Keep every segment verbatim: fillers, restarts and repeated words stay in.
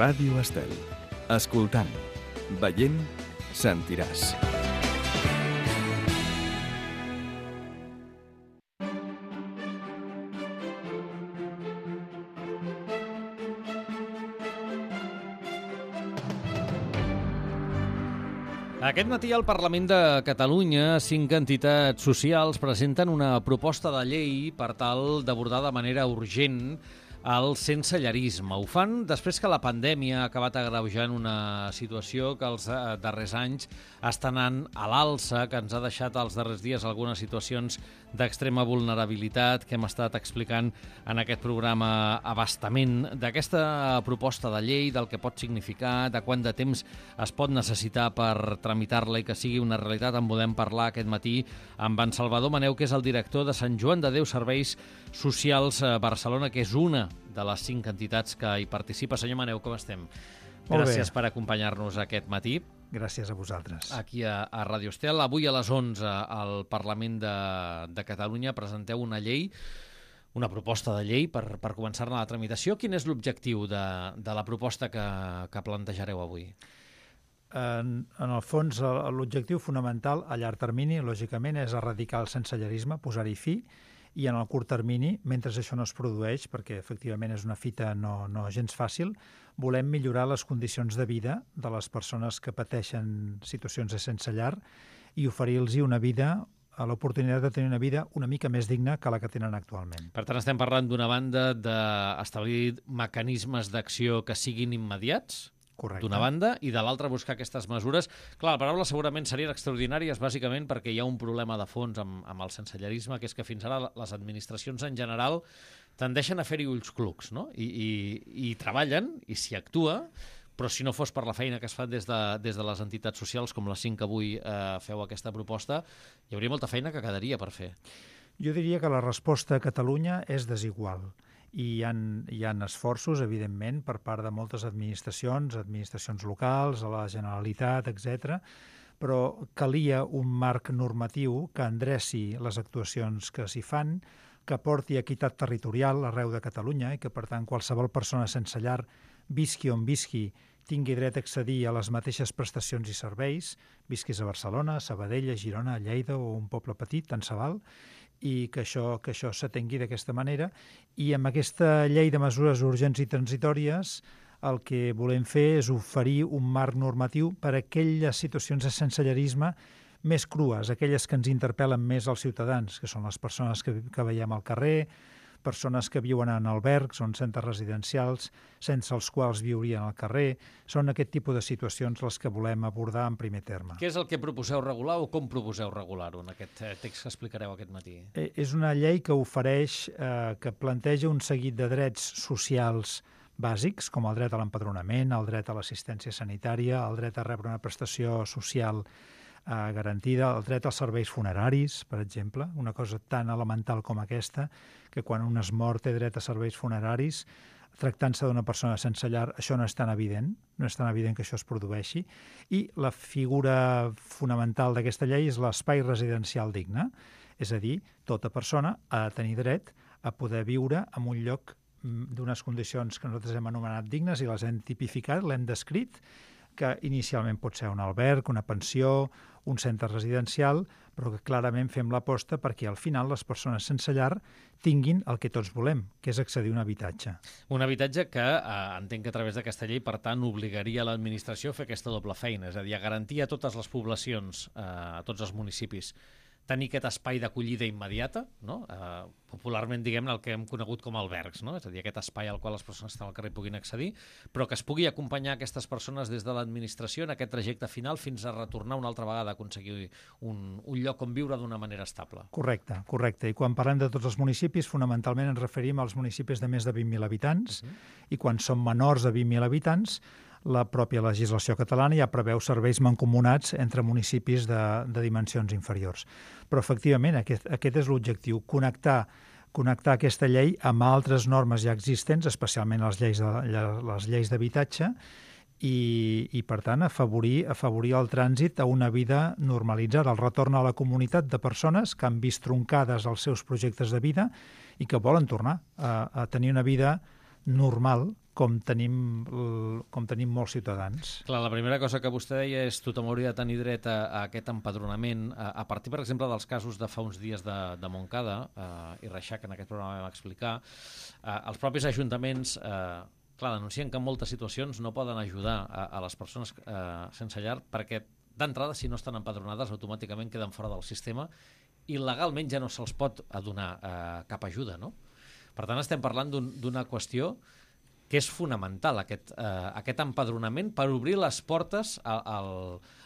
Ràdio Estel. Escoltant, veient, sentiràs. Aquest matí al Parlament de Catalunya, cinc entitats socials presenten una proposta de llei per tal d'abordar de manera urgent el sensellarisme. Ho fan després que la pandèmia ha acabat agreujant una situació que els darrers anys està anant a l'alça, que ens ha deixat els darrers dies algunes situacions d'extrema vulnerabilitat que hem estat explicant en aquest programa a bastament. D'aquesta proposta de llei, del que pot significar, de quant de temps es pot necessitar per tramitar-la i que sigui una realitat, en podem parlar aquest matí amb en Salvador Maneu, que és el director de Sant Joan de Déu Serveis Socials a Barcelona, que és una de les cinc entitats que hi participa. Senyor Maneu, com estem? Gràcies per acompanyar-nos aquest matí. Gràcies a vosaltres. Aquí a, a Ràdio Estel. Avui a les onze al Parlament de, de Catalunya presenteu una llei, una proposta de llei per, per començar-ne la tramitació. Quin és l'objectiu de, de la proposta que, que plantejareu avui? En, en el fons, l'objectiu fonamental a llarg termini, lògicament, és erradicar el sensellarisme, posar-hi fi, i en el curt termini, mentre això no es produeix, perquè efectivament és una fita no, no gens fàcil, volem millorar les condicions de vida de les persones que pateixen situacions de sense llar i oferir-los una vida, l'oportunitat de tenir una vida una mica més digna que la que tenen actualment. Per tant, estem parlant d'una banda d'establir mecanismes d'acció que siguin immediats, d'una banda, i de l'altra buscar aquestes mesures. Clar, la paraula segurament serien extraordinàries, bàsicament perquè hi ha un problema de fons amb, amb el sensellarisme, que és que fins ara les administracions en general tendeixen a fer-hi ulls clucs, no? I, i, i treballen, i s'hi actua, però si no fos per la feina que es fa des de, des de les entitats socials, com les cinc que avui eh, feu aquesta proposta, hi hauria molta feina que quedaria per fer. Jo diria que la resposta a Catalunya és desigual. I hi ha, hi ha esforços, evidentment, per part de moltes administracions, administracions locals, a la Generalitat, etcètera, però calia un marc normatiu que endreci les actuacions que s'hi fan, que porti equitat territorial arreu de Catalunya i que, per tant, qualsevol persona sense llar, visqui on visqui, tingui dret a accedir a les mateixes prestacions i serveis, visquis a Barcelona, a Sabadell, a Girona, a Lleida o un poble petit, tant se val, i que això, que això s'atengui d'aquesta manera. I amb aquesta llei de mesures urgents i transitòries el que volem fer és oferir un marc normatiu per a aquelles situacions de sensellarisme més crues, aquelles que ens interpel·len més als ciutadans, que són les persones que, que veiem al carrer, persones que viuen en albergs o en centres residencials, sense els quals viurien al carrer. Són aquest tipus de situacions les que volem abordar en primer terme. Què és el que proposeu regular o com proposeu regular-ho en aquest text que explicareu aquest matí? Eh, és una llei que ofereix, eh, que planteja un seguit de drets socials bàsics, com el dret a l'empadronament, el dret a l'assistència sanitària, el dret a rebre una prestació social eh, garantida, el dret als serveis funeraris, per exemple, una cosa tan elemental com aquesta, que quan un es mor té dret a serveis funeraris, tractant-se d'una persona sense llar, això no és tan evident, no és tan evident que això es produeixi, i la figura fonamental d'aquesta llei és l'espai residencial digne, és a dir, tota persona ha de tenir dret a poder viure en un lloc d'unes condicions que nosaltres hem anomenat dignes i les hem tipificat, l'hem descrit, que inicialment pot ser un alberg, una pensió, un centre residencial, però que clarament fem l'aposta perquè al final les persones sense llar tinguin el que tots volem, que és accedir a un habitatge. Un habitatge que eh, entenc que a través d'aquesta llei, per tant, obligaria l'administració a fer aquesta doble feina, és a dir, a garantir a totes les poblacions, eh, a tots els municipis, tenir aquest espai d'acollida immediata, no? eh, popularment diguem-ne el que hem conegut com albergs, no? És a dir, aquest espai al qual les persones que estan al carrer puguin accedir, però que es pugui acompanyar aquestes persones des de l'administració en aquest trajecte final fins a retornar una altra vegada a aconseguir un, un lloc on viure d'una manera estable. Correcte, correcte. I quan parlem de tots els municipis, fonamentalment ens referim als municipis de més de vint mil habitants, uh-huh. i quan són menors de vint mil habitants, la pròpia legislació catalana ja preveu serveis mancomunats entre municipis de, de dimensions inferiors. Però, efectivament, aquest, aquest és l'objectiu, connectar, connectar aquesta llei amb altres normes ja existents, especialment les lleis de, les lleis d'habitatge, i, i, per tant, afavorir, afavorir el trànsit a una vida normalitzada, el retorn a la comunitat de persones que han vist troncades els seus projectes de vida i que volen tornar a, a tenir una vida normal com tenim, com tenim molts ciutadans. Clar, la primera cosa que vostè deia és tothom hauria de tenir dret a, a aquest empadronament. A, a partir, per exemple, dels casos de fa uns dies de, de Montcada, eh, i Reixac, en aquest programa vam explicar, eh, els propis ajuntaments eh, clar, denuncien que en moltes situacions no poden ajudar a, a les persones eh, sense llar perquè d'entrada, si no estan empadronades, automàticament queden fora del sistema i legalment ja no se'ls pot donar eh, cap ajuda, no? Per tant, estem parlant d'un, d'una qüestió que és fonamental, aquest, eh, aquest empadronament per obrir les portes al, al,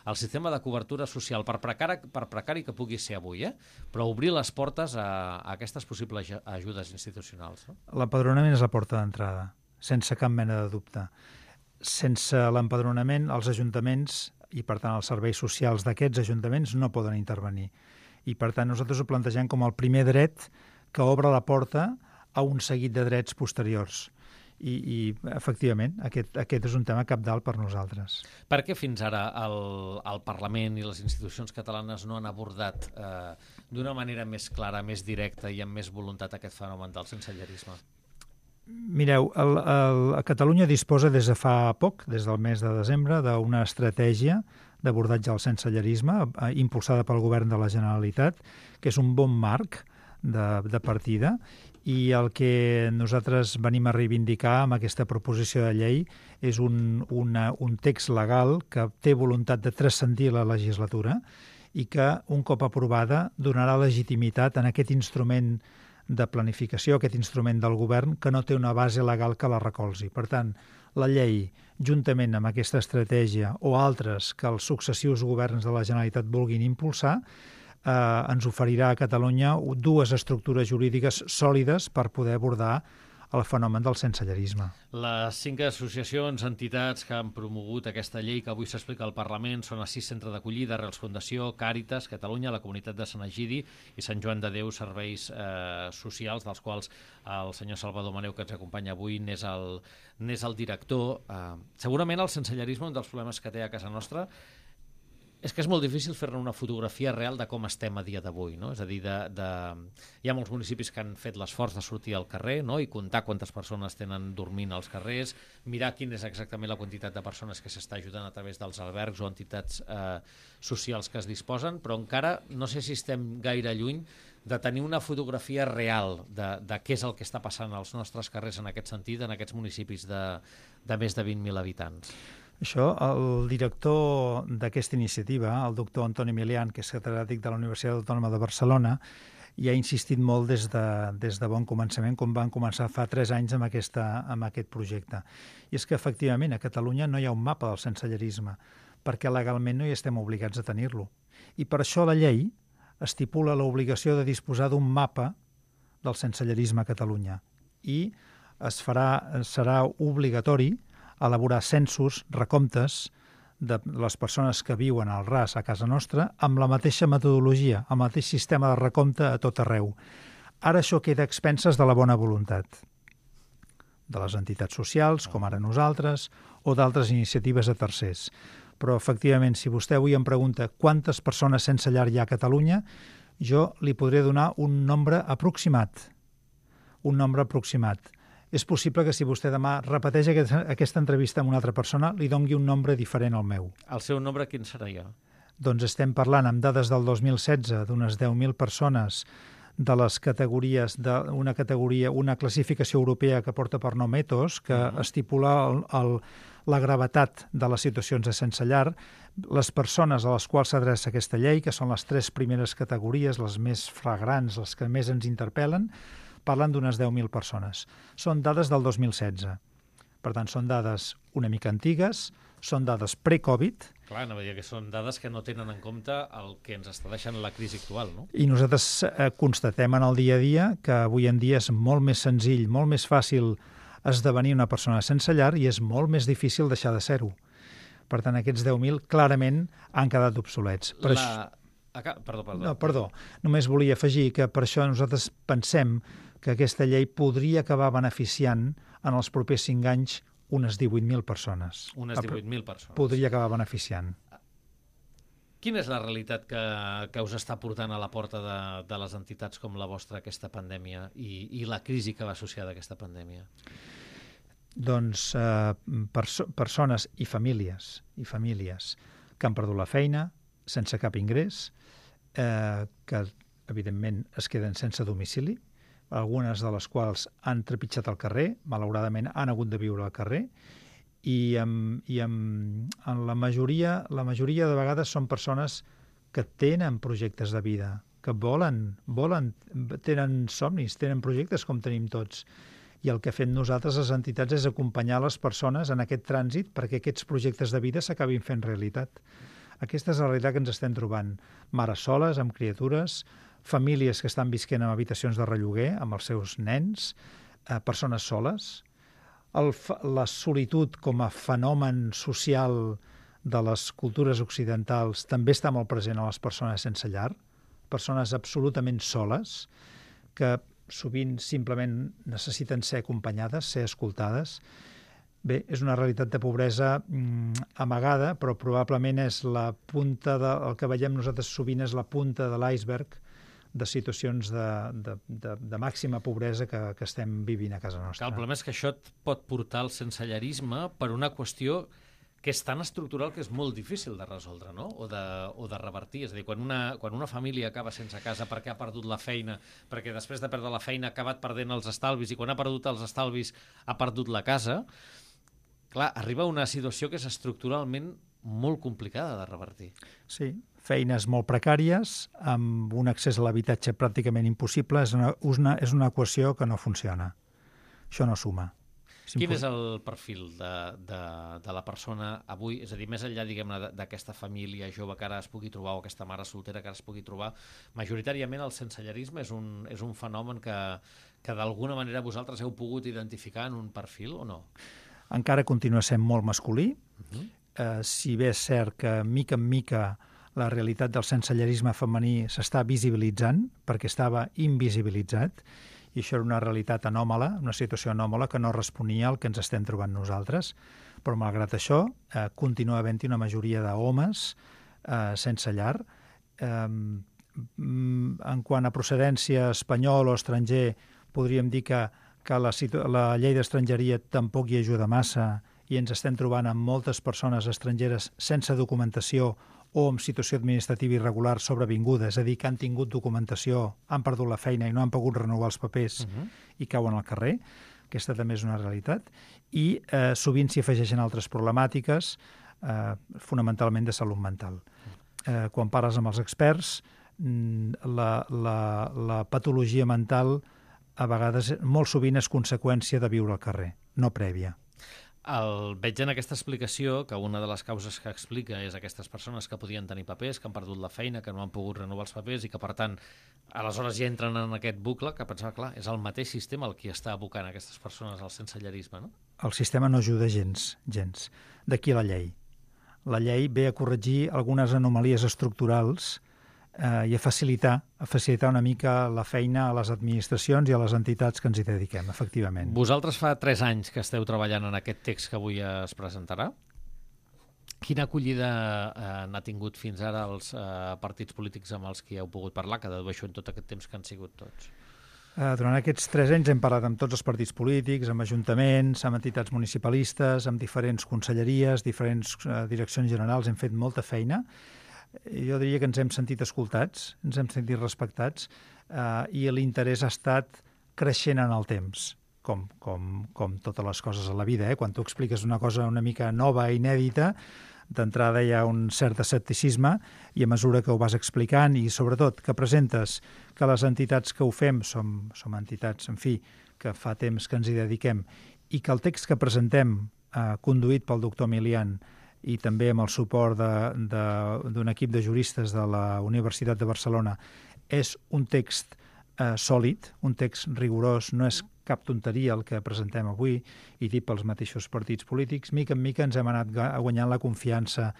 al sistema de cobertura social, per precari, per precari que pugui ser avui, eh? Però obrir les portes a, a aquestes possibles ajudes institucionals. No? L'empadronament és la porta d'entrada, sense cap mena de dubte. Sense l'empadronament, els ajuntaments i, per tant, els serveis socials d'aquests ajuntaments no poden intervenir. I, per tant, nosaltres ho plantegem com el primer dret que obre la porta a un seguit de drets posteriors. I, i efectivament, aquest, aquest és un tema cabdal per nosaltres. Per què fins ara el, el Parlament i les institucions catalanes no han abordat eh, d'una manera més clara, més directa i amb més voluntat aquest fenomen del sensellarisme? Mireu, el, el, a Catalunya disposa des de fa poc, des del mes de desembre, d'una estratègia d'abordatge al sensellarisme eh, impulsada pel Govern de la Generalitat, que és un bon marc de, de partida, i el que nosaltres venim a reivindicar amb aquesta proposició de llei és un, una, un text legal que té voluntat de transcendir la legislatura i que, un cop aprovada, donarà legitimitat en aquest instrument de planificació, aquest instrument del govern, que no té una base legal que la recolzi. Per tant, la llei, juntament amb aquesta estratègia o altres que els successius governs de la Generalitat vulguin impulsar, Eh, ens oferirà a Catalunya dues estructures jurídiques sòlides per poder abordar el fenomen del sensellarisme. Les cinc associacions, entitats que han promogut aquesta llei que avui s'explica al Parlament són Assís Centre d'Acollida, Arrels Fundació, Càritas, Catalunya, la Comunitat de Sant Egidi i Sant Joan de Déu, serveis eh, socials, dels quals el senyor Salvador Maneu, que ens acompanya avui, n'és el, n'és el director. Eh, segurament el sensellarisme, un dels problemes que té a casa nostra, és que és molt difícil fer-ne una fotografia real de com estem a dia d'avui, no? És a dir, de, de... hi ha molts municipis que han fet l'esforç de sortir al carrer, no? I comptar quantes persones tenen dormint als carrers, mirar quina és exactament la quantitat de persones que s'està ajudant a través dels albergs o entitats eh, socials que es disposen, però encara no sé si estem gaire lluny de tenir una fotografia real de, de què és el que està passant als nostres carrers en aquest sentit, en aquests municipis de, de més de vint mil habitants. Això, el director d'aquesta iniciativa, el doctor Antoni Milian, que és catedràtic de la Universitat Autònoma de Barcelona, hi ha insistit molt des de, des de bon començament, com van començar fa tres anys amb, aquesta, amb aquest projecte. I és que, efectivament, a Catalunya no hi ha un mapa del sensellarisme, perquè legalment no hi estem obligats a tenir-lo. I per això la llei estipula l'obligació de disposar d'un mapa del sensellarisme a Catalunya. I es farà, serà obligatori elaborar censos, recomptes de les persones que viuen al ras a casa nostra amb la mateixa metodologia, amb el mateix sistema de recompte a tot arreu. Ara això queda a expenses de la bona voluntat de les entitats socials, com ara nosaltres, o d'altres iniciatives de tercers. Però, efectivament, si vostè avui em pregunta quantes persones sense llar hi ha a Catalunya, jo li podré donar un nombre aproximat. Un nombre aproximat. És possible que si vostè demà repeteix aquesta entrevista amb una altra persona, li dongui un nombre diferent al meu. El seu nombre quin seria? Doncs estem parlant amb dades del dos mil setze d'unes deu mil persones de les categories d'una categoria, una classificació europea que porta per nom ETOS, que uh-huh. estipula el, el, la gravetat de les situacions de sense llar, les persones a les quals s'adreça aquesta llei, que són les tres primeres categories, les més flagrants, les que més ens interpel·len, parlen d'unes deu mil persones. Són dades del dos mil setze. Per tant, són dades una mica antigues, són dades pre-Covid. Clar, no, que són dades que no tenen en compte el que ens està deixant la crisi actual, no? I nosaltres eh, constatem en el dia a dia que avui en dia és molt més senzill, molt més fàcil esdevenir una persona sense llar i és molt més difícil deixar de ser-ho. Per tant, aquests deu mil clarament han quedat obsolets. Per la... això... Aca... Perdó, perdó. No, perdó. Només volia afegir que per això nosaltres pensem que aquesta llei podria acabar beneficiant en els propers cinc anys unes divuit mil persones. Unes divuit mil persones. Podria acabar beneficiant. Quina és la realitat que, que us està portant a la porta de, de les entitats com la vostra aquesta pandèmia i, i la crisi que va associada a aquesta pandèmia? Doncs eh, perso persones i famílies, i famílies que han perdut la feina sense cap ingrés, eh, que evidentment es queden sense domicili, algunes de les quals han trepitjat al carrer, malauradament han hagut de viure al carrer, i, amb, i amb, en la majoria, la majoria de vegades són persones que tenen projectes de vida, que volen, volen, tenen somnis, tenen projectes com tenim tots. I el que fem nosaltres, les entitats, és acompanyar les persones en aquest trànsit perquè aquests projectes de vida s'acabin fent realitat. Aquesta és la realitat que ens estem trobant. Mares soles, amb criatures, famílies que estan visquent en habitacions de relloguer amb els seus nens, eh, persones soles. El, la solitud com a fenomen social de les cultures occidentals també està molt present a les persones sense llar, persones absolutament soles, que sovint simplement necessiten ser acompanyades, ser escoltades. Bé, és una realitat de pobresa mm, amagada, però probablement és la punta de, el que veiem nosaltres sovint és la punta de l'iceberg de situacions de, de, de, de màxima pobresa que, que estem vivint a casa nostra. El problema és que això et pot portar al sensellarisme per una qüestió que és tan estructural que és molt difícil de resoldre, no? O de, o de revertir. És a dir, quan una, quan una família acaba sense casa perquè ha perdut la feina, perquè després de perdre la feina ha acabat perdent els estalvis, i quan ha perdut els estalvis ha perdut la casa, clar, arriba a una situació que és estructuralment molt complicada de revertir. Sí, feines molt precàries, amb un accés a l'habitatge pràcticament impossible, és una, una, és una equació que no funciona. Això no suma. Quin és el perfil de, de, de la persona avui? És a dir, més enllà, diguem-ne, d'aquesta família jove que ara es pugui trobar, o aquesta mare soltera que ara es pugui trobar, majoritàriament el sensellarisme és un, és un fenomen que, que d'alguna manera vosaltres heu pogut identificar en un perfil o no? Encara continua sent molt masculí. Uh-huh. eh, si bé és cert que mica en mica la realitat del sensellarisme femení s'està visibilitzant, perquè estava invisibilitzat, i això era una realitat anòmala, una situació anòmala que no responia al que ens estem trobant nosaltres. Però, malgrat això, eh, continua havent-hi una majoria d'homes eh, sense llar. Eh, en quant a procedència espanyol o estranger, podríem dir que, que la, la llei d'estrangeria tampoc hi ajuda massa, i ens estem trobant amb moltes persones estrangeres sense documentació o en situació administrativa irregular sobrevinguda, és a dir, que han tingut documentació, han perdut la feina i no han pogut renovar els papers uh-huh. i cauen al carrer. Aquesta també és una realitat. I eh, sovint s'hi afegeixen altres problemàtiques, eh, fonamentalment de salut mental. Eh, quan parles amb els experts, la, la, la patologia mental a vegades, molt sovint, és conseqüència de viure al carrer, no prèvia. El, veig en aquesta explicació que una de les causes que explica és aquestes persones que podien tenir papers, que han perdut la feina, que no han pogut renovar els papers i que, per tant, aleshores ja entren en aquest bucle que pensava, clar, és el mateix sistema el qui està abocant aquestes persones al sensellarisme, no? El sistema no ajuda gens, gens. D'aquí la llei. La llei ve a corregir algunes anomalies estructurals eh, i a facilitar, a facilitar una mica la feina a les administracions i a les entitats que ens hi dediquem, efectivament. Vosaltres fa tres anys que esteu treballant en aquest text que avui es presentarà. Quina acollida eh, n'ha tingut fins ara els eh, partits polítics amb els que heu pogut parlar, que dedueixo en tot aquest temps que han sigut tots? Eh, durant aquests tres anys hem parlat amb tots els partits polítics, amb ajuntaments, amb entitats municipalistes, amb diferents conselleries, diferents eh, direccions generals, hem fet molta feina. Jo diria que ens hem sentit escoltats, ens hem sentit respectats eh, i l'interès ha estat creixent en el temps, com, com, com totes les coses a la vida. Eh? Quan tu expliques una cosa una mica nova, inèdita, d'entrada hi ha un cert escepticisme i a mesura que ho vas explicant i sobretot que presentes que les entitats que ho fem som, som entitats, en fi, que fa temps que ens hi dediquem i que el text que presentem, eh, conduït pel doctor Milian, i també amb el suport d'un equip de juristes de la Universitat de Barcelona, és un text eh, sòlid, un text rigorós, no és cap tonteria el que presentem avui, i dit pels mateixos partits polítics. Mica en mica ens hem anat guanyant la confiança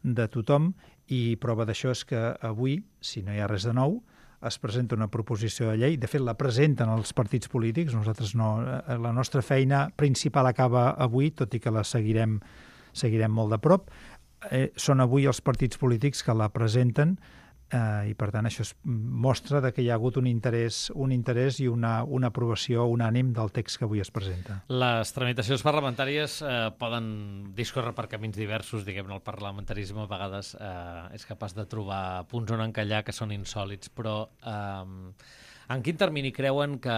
de tothom, i prova d'això és que avui, si no hi ha res de nou, es presenta una proposició de llei. De fet, la presenten els partits polítics. Nosaltres no, la nostra feina principal acaba avui, tot i que la seguirem seguirem molt de prop. Eh, són avui els partits polítics que la presenten eh, i per tant això es mostra de que hi ha hagut un interès, un interès i una, una aprovació unànim del text que avui es presenta. Les tramitacions parlamentàries eh, poden discórrer per camins diversos, diguem-ne, el parlamentarisme a vegades eh, és capaç de trobar punts on encallar que són insòlits, però eh, en quin termini creuen que,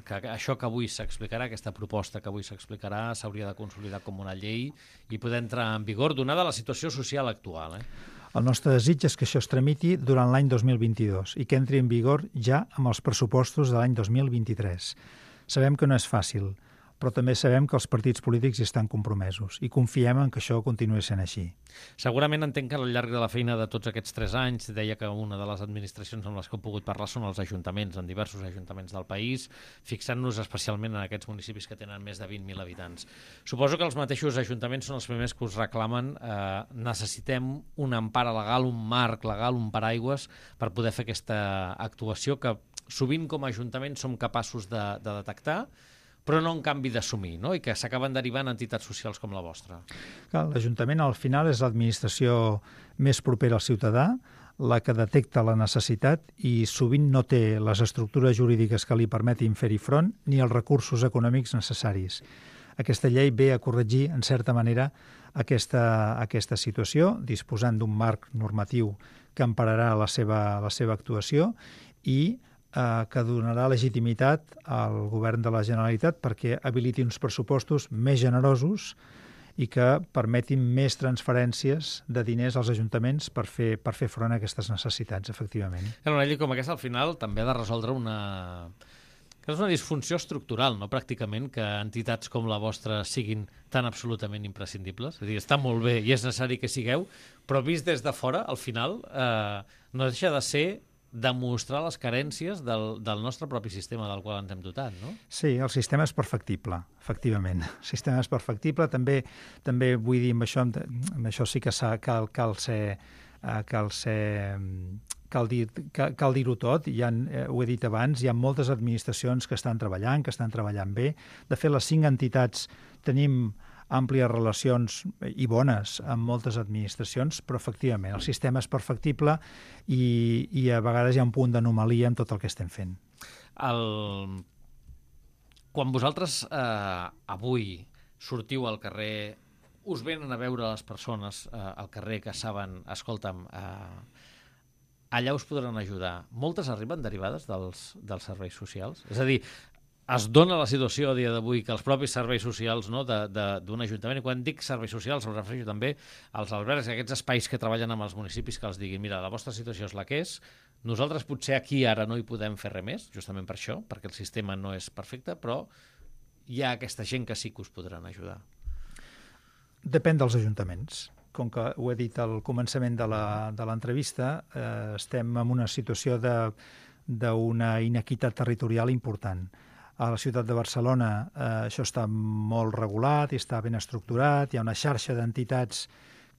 que això que avui s'explicarà, aquesta proposta que avui s'explicarà, s'hauria de consolidar com una llei i poder entrar en vigor, donada la situació social actual, eh? El nostre desig és que això es tramiti durant l'any dos mil vint-i-dos i que entri en vigor ja amb els pressupostos de l'any dos mil vint-i-tres. Sabem que no és fàcil, però també sabem que els partits polítics hi estan compromesos i confiem en que això continuï sent així. Segurament entenc que al llarg de la feina de tots aquests tres anys, deia que una de les administracions amb les que he pogut parlar són els ajuntaments, en diversos ajuntaments del país, fixant-nos especialment en aquests municipis que tenen més de vint mil habitants. Suposo que els mateixos ajuntaments són els primers que us reclamen eh, necessitem una empara legal, un marc legal, un paraigües per poder fer aquesta actuació que sovint com a ajuntament som capaços de, de detectar, però no en canvi d'assumir, no? I que s'acaben derivant entitats socials com la vostra. L'Ajuntament al final és l'administració més propera al ciutadà, la que detecta la necessitat i sovint no té les estructures jurídiques que li permetin fer-hi front ni els recursos econòmics necessaris. Aquesta llei ve a corregir, en certa manera, aquesta, aquesta situació, disposant d'un marc normatiu que empararà la seva, la seva actuació i que donarà legitimitat al govern de la Generalitat perquè habiliti uns pressupostos més generosos i que permetin més transferències de diners als ajuntaments per fer, per fer front a aquestes necessitats, efectivament. Una llei com aquesta, al final, també ha de resoldre una... que és una disfunció estructural, no? Pràcticament, que entitats com la vostra siguin tan absolutament imprescindibles. És a dir, està molt bé i és necessari que sigueu, però vist des de fora, al final, eh, no deixa de ser demostrar les carències del, del nostre propi sistema del qual ens hem dotat, no? Sí, el sistema és perfectible, efectivament. El sistema és perfectible. També, també vull dir, amb això, amb això sí que cal, cal ser... cal ser cal dir, cal, cal dir-ho tot, ja han, eh, ho he dit abans, hi ha moltes administracions que estan treballant, que estan treballant bé. De fet, les cinc entitats tenim àmplies relacions i bones amb moltes administracions, però efectivament el sistema és perfectible i, i a vegades hi ha un punt d'anomalia en tot el que estem fent. El... Quan vosaltres eh, avui sortiu al carrer, us venen a veure les persones eh, al carrer que saben, escolta'm, eh, allà us podran ajudar. Moltes arriben derivades dels, dels serveis socials? És a dir, es dona la situació a dia d'avui que els propis serveis socials, no, d'un ajuntament, i quan dic serveis socials em refereixo també als albergs, aquests espais que treballen amb els municipis que els diguin, mira, la vostra situació és la que és, nosaltres potser aquí ara no hi podem fer res més, justament per això, perquè el sistema no és perfecte, però hi ha aquesta gent que sí que us podran ajudar. Depèn dels ajuntaments. Com que ho he dit al començament de l'entrevista, eh, estem en una situació d'una inequitat territorial important. A la ciutat de Barcelona eh, això està molt regulat i està ben estructurat, hi ha una xarxa d'entitats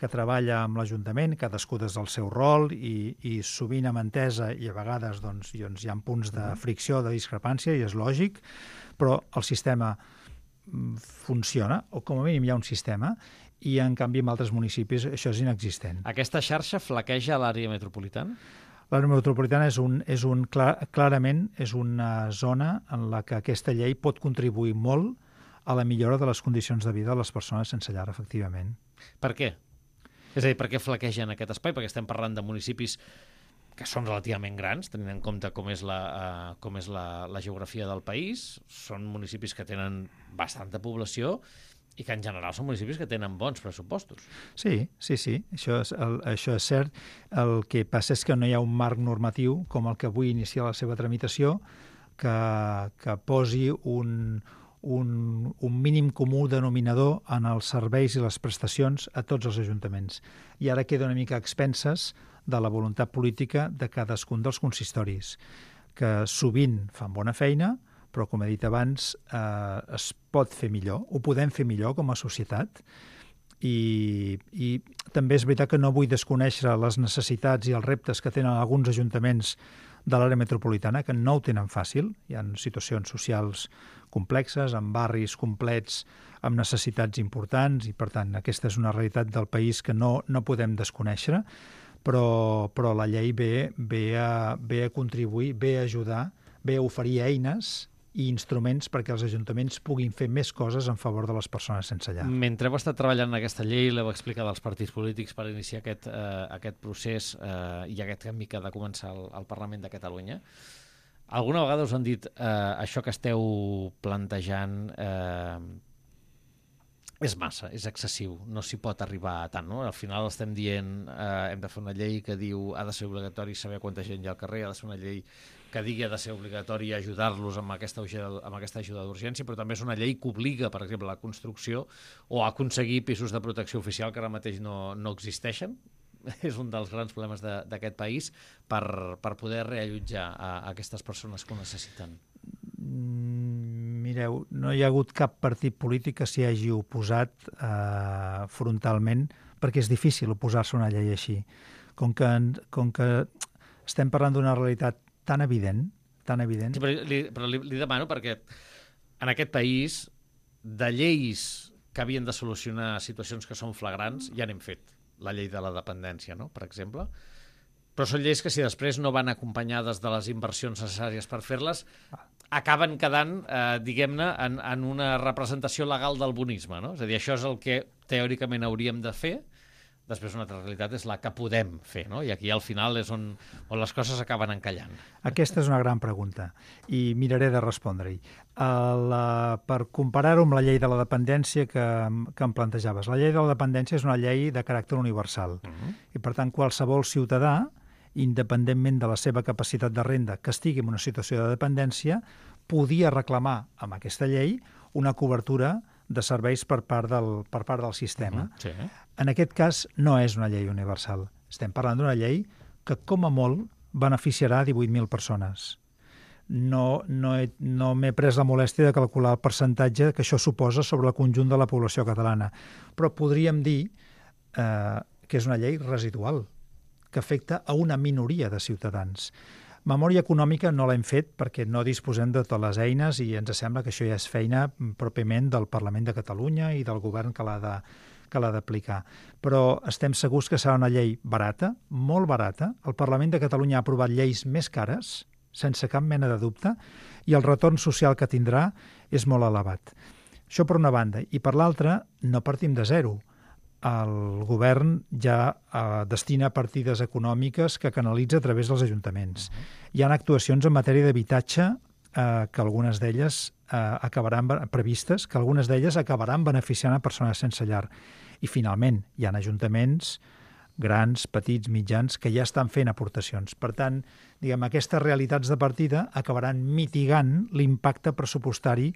que treballa amb l'Ajuntament, cadascú des del seu rol i, i sovint amb entesa i a vegades doncs, doncs, hi ha punts de fricció, de discrepància i és lògic, però el sistema funciona, o com a mínim hi ha un sistema, i en canvi en altres municipis això és inexistent. Aquesta xarxa flaqueja a l'àrea metropolitana? L'àrea metropolitana és un, és un, clar, clarament és una zona en la que aquesta llei pot contribuir molt a la millora de les condicions de vida de les persones sense llar, efectivament. Per què? És a dir, per què flaquegen aquest espai? Perquè estem parlant de municipis que són relativament grans, tenint en compte com és la, uh, com és la, la geografia del país. Són municipis que tenen bastanta població i que en general són municipis que tenen bons pressupostos. Sí, sí, sí, això és, el, això és cert. El que passa és que no hi ha un marc normatiu com el que avui inicia la seva tramitació que, que posi un, un, un mínim comú denominador en els serveis i les prestacions a tots els ajuntaments. I ara queda una mica a expenses de la voluntat política de cadascun dels consistoris, que sovint fan bona feina, però, com he dit abans, eh, es pot fer millor, ho podem fer millor com a societat, i, i també és veritat que no vull desconèixer les necessitats i els reptes que tenen alguns ajuntaments de l'àrea metropolitana, que no ho tenen fàcil. Hi ha situacions socials complexes, amb barris complets, amb necessitats importants, i per tant aquesta és una realitat del país que no, no podem desconèixer, però, però la llei ve, ve, a, ve a contribuir, ve a ajudar, ve a oferir eines i instruments perquè els ajuntaments puguin fer més coses en favor de les persones sense llar. Mentre heu estat treballant en aquesta llei, l'heu explicat als partits polítics per iniciar aquest, eh, aquest procés eh, i aquest canvi que ha de començar al, al Parlament de Catalunya, alguna vegada us han dit eh, això que esteu plantejant eh, és massa, és excessiu, no s'hi pot arribar a tant, no? Al final estem dient eh, hem de fer una llei que diu ha de ser obligatori saber quanta gent hi ha al carrer, ha de ser una llei que digui ha de ser obligatori ajudar-los amb aquesta, amb aquesta ajuda d'urgència, però també és una llei que obliga, per exemple, la construcció o a aconseguir pisos de protecció oficial que ara mateix no, no existeixen. És un dels grans problemes d'aquest país per, per poder reallotjar a, a aquestes persones que ho necessiten. Mireu, no hi ha hagut cap partit polític que s'hi hagi oposat eh, frontalment, perquè és difícil oposar-se a una llei així. Com que, com que estem parlant d'una realitat tan evident, tan evident... Sí, però li, però li, li demano perquè en aquest país de lleis que havien de solucionar situacions que són flagrants ja n'hem fet. La llei de la dependència, no?, per exemple. Però són lleis que si després no van acompanyades de les inversions necessàries per fer-les, acaben quedant, eh, diguem-ne, en, en una representació legal del bonisme, no? És a dir, això és el que teòricament hauríem de fer. Després una altra realitat és la que podem fer, no? I aquí al final és on, on les coses acaben encallant. Aquesta és una gran pregunta i miraré de respondre-hi. La, per comparar-ho amb la llei de la dependència que, que em plantejaves. La llei de la dependència és una llei de caràcter universal uh-huh. i per tant qualsevol ciutadà, independentment de la seva capacitat de renda, que estigui en una situació de dependència, podia reclamar amb aquesta llei una cobertura de serveis per part del, per part del sistema. Uh-huh, sí. En aquest cas no és una llei universal. Estem parlant d'una llei que com a molt beneficiarà divuit mil persones. No, no, he, no m'he pres la molèstia de calcular el percentatge que això suposa sobre el conjunt de la població catalana, però podríem dir eh, que és una llei residual, que afecta a una minoria de ciutadans. Memòria econòmica no l'hem fet perquè no disposem de totes les eines i ens sembla que això ja és feina pròpiament del Parlament de Catalunya i del govern que l'ha de, que l'ha d'aplicar. Però estem segurs que serà una llei barata, molt barata. El Parlament de Catalunya ha aprovat lleis més cares, sense cap mena de dubte, i el retorn social que tindrà és molt elevat. Això per una banda. I per l'altra, no partim de zero. El govern ja eh, destina partides econòmiques que canalitza a través dels ajuntaments. Uh-huh. Hi ha actuacions en matèria d'habitatge eh, que algunes d'elles eh, acabaran previstes, que algunes d'elles acabaran beneficiant a persones sense llar. I finalment, hi ha ajuntaments grans, petits, mitjans, que ja estan fent aportacions. Per tant, diguem, aquestes realitats de partida acabaran mitigant l'impacte pressupostari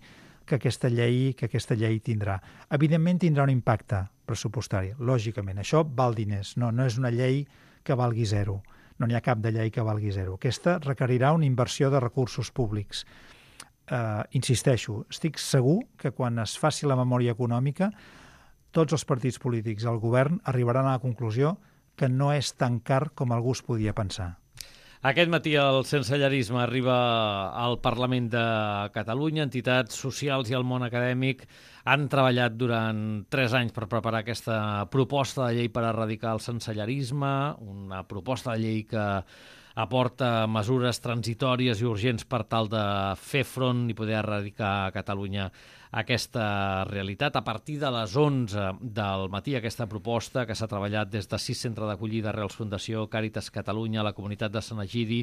que aquesta llei que aquesta llei tindrà. Evidentment tindrà un impacte pressupostari, lògicament. Això val diners, no, no és una llei que valgui zero. No n'hi ha cap de llei que valgui zero. Aquesta requerirà una inversió de recursos públics. Uh, insisteixo, estic segur que quan es faci la memòria econòmica, tots els partits polítics, el govern, arribaran a la conclusió que no és tan car com algú es podia pensar. Aquest matí el sensellarisme arriba al Parlament de Catalunya. Entitats socials i el món acadèmic han treballat durant tres anys per preparar aquesta proposta de llei per erradicar el sensellarisme, una proposta de llei que aporta mesures transitòries i urgents per tal de fer front i poder erradicar a Catalunya aquesta realitat. A partir de les onze del matí, aquesta proposta que s'ha treballat des de sis centres d'acollida, Arrels Fundació, Càritas Catalunya, la comunitat de Sant Egidi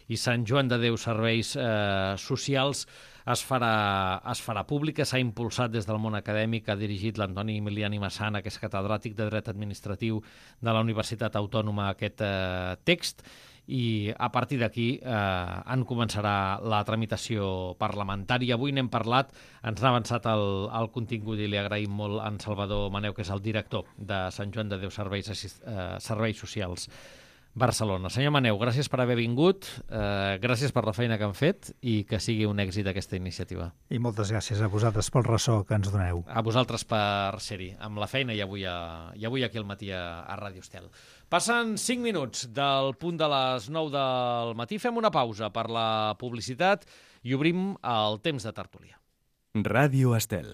i Sant Joan de Déu Serveis eh, Socials, es farà, es farà pública. S'ha impulsat des del món acadèmic, ha dirigit l'Antoni Emiliani Massana, que és catedràtic de Dret Administratiu de la Universitat Autònoma, aquest eh, text, i a partir d'aquí eh, en començarà la tramitació parlamentària. Avui n'hem parlat, ens n'ha avançat el, el contingut i li agraïm molt a en Salvador Maneu, que és el director de Sant Joan de Déu Serveis, eh, Serveis Socials Barcelona. Senyor Maneu, gràcies per haver vingut, eh, gràcies per la feina que han fet i que sigui un èxit aquesta iniciativa. I moltes gràcies a vosaltres pel ressò que ens doneu. A vosaltres per ser-hi, amb la feina i avui, a, i avui aquí al matí a, a Ràdio Estel. Passen cinc minuts del punt de les nou del matí. Fem una pausa per la publicitat i obrim el temps de tertúlia. Ràdio Estel.